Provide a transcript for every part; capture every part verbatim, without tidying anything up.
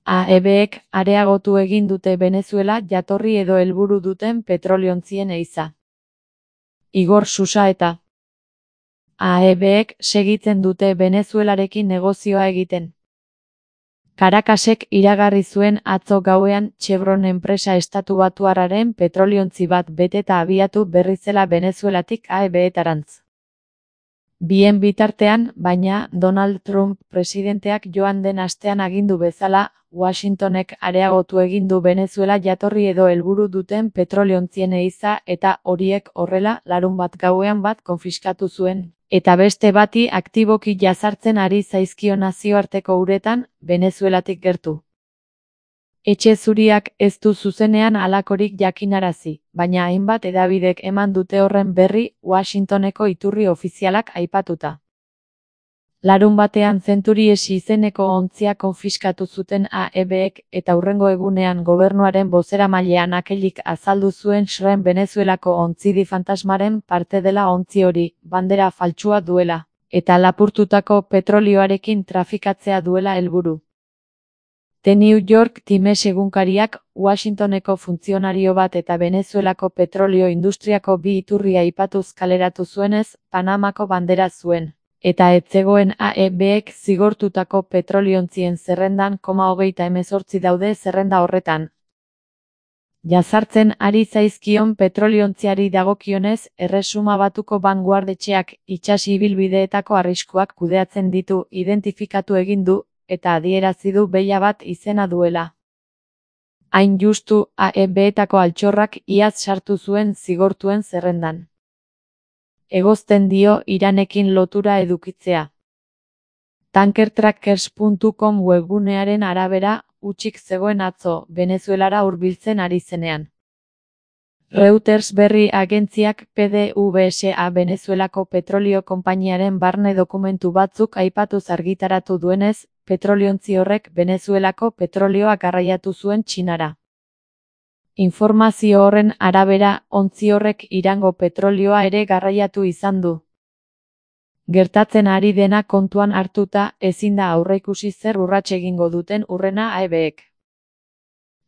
A E Bek areagotu egin dute Venezuela jatorri edo helburu duten petroliontzien ehiza. Igor Susaeta. A E Bek segitzen dute Venezuelarekin negozioa egiten. Caracasek iragarri zuen atzo gauean Chevron enpresa estatubatuarraren petroliontzi bat beteta abiatu berri zela Venezuelatik A E Betarantz. Bien bitartean, baina, Donald Trump presidenteak joan den astean agindu bezala, Washingtonek areagotu egin du Venezuela jatorri edo helburu duten petroliontzien ehiza eta horiek horrela larunbat gauean bat konfiskatu zuen, eta beste bati aktiboki jazartzen ari zaizkio nazioarteko uretan, Venezuelatik gertu. Etxe Zuriak ez du zuzenean halakorik jakinarazi, baina hainbat hedabidek eman dute horren berri Washingtoneko iturri ofizialak aipatuta. Larun batean Centuries izeneko ontzia konfiskatu zuten A E Bek eta hurrengo egunean gobernuaren bozeramailean akelik azaldu zuen Shrem Venezuelako ontzidi fantasmaren parte dela ontzi hori, bandera faltsua duela, eta lapurtutako petrolioarekin trafikatzea duela helburu. The New York Times egunkariak Washingtoneko funtzionario bat eta Venezuelako petrolio industriako bi iturri aipatuz kaleratu zuenez, Panamako bandera zuen, eta ez zegoen A E Bek zigortutako petroliontzien zerrendan koma hogeita hemezortzi daude zerrenda horretan. Jazartzen ari zaizkion petroliontziari dagokionez, Erresuma Batuko Banguardetxeak itsas ibilbideetako arriskuak kudeatzen ditu identifikatu egin du, eta adierazi du behia bat izena duela. Hain justu, A E Betako altxorrak iaz sartu zuen zigortuen zerrendan. Egozten dio Iranekin lotura edukitzea. Tankertrackers puntu com webgunearen arabera, hutsik zegoen atzo, Venezuelara hurbiltzen ari zenean. Reuters berri agentziak P D V S A Venezuelako petrolio konpainiaren barne dokumentu batzuk aipatuz argitaratu duenez, petroliontzi horrek Venezuelako petrolioa garraiatu zuen Txinara. Informazio horren arabera, ontzi horrek Irango petrolioa ere garraiatu izan du. Gertatzen ari dena kontuan hartuta, ezin da aurreikusi zer urrats egingo duten hurrena A E Bek.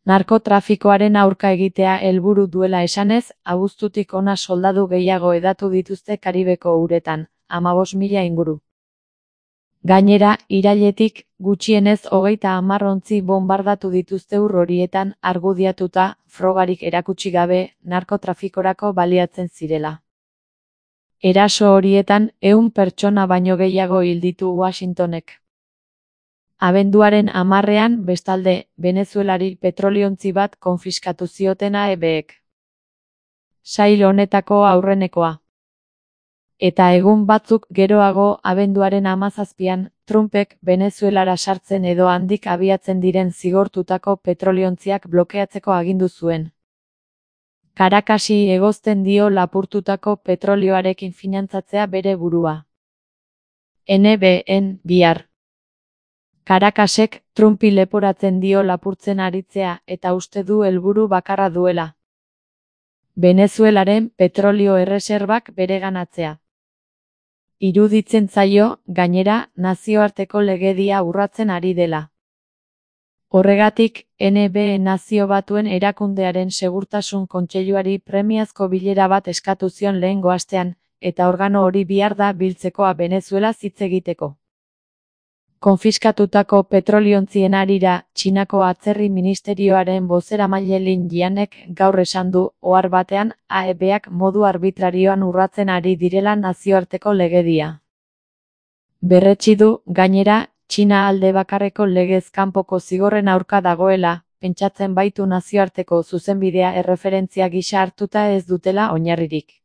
Narkotrafikoaren aurka egitea helburu duela esanez, abuztutik hona soldadu gehiago hedatu dituzte Karibeko uretan, hamabost mila inguru. Gainera, irailetik, gutxienez hogeita hamar ontzi bonbardatu dituzte ur horietan argudiatuta, frogarik erakutsi gabe, narkotrafikorako baliatzen zirela. Eraso horietan, ehun pertsona baino gehiago hil ditu Washingtonek. Abenduaren hamarrean, bestalde, Venezuelari petroliontzi bat konfiskatu zioten A E Bek. Sail honetako aurrenekoa. Eta egun batzuk geroago, abenduaren hamazazpian, Trumpek Venezuelara sartzen edo handik abiatzen diren zigortutako petroliontziak blokeatzeko agindu zuen. Caracasi egozten dio lapurtutako petrolioarekin finantzatzea bere burua. N B N bihar. Caracasek Trumpi leporatzen dio lapurtzen aritzea eta uste du helburu bakarra duela. Venezuelaren petrolio erreserbak bereganatzea. Iruditzen zaio, gainera, nazioarteko legedia urratzen ari dela. Horregatik, N B E Nazio Batuen Erakundearen Segurtasun Kontseiluari premiazko bilera bat eskatu zion lehengo astean, eta organo hori bihar da biltzekoa Venezuela hitz egiteko. Konfiskatutako petroliontzien harira, Txinako Atzerri Ministerioaren bozeramaile Lin Jianek gaur esan du, ohar batean, A E Bak modu arbitrarioan urratzen ari direla nazioarteko legedia. Berretsi du, gainera, Txina alde bakarreko legez kanpoko zigorren aurka dagoela, pentsatzen baitu nazioarteko zuzenbidea erreferentzia gisa hartuta ez dutela oinarririk.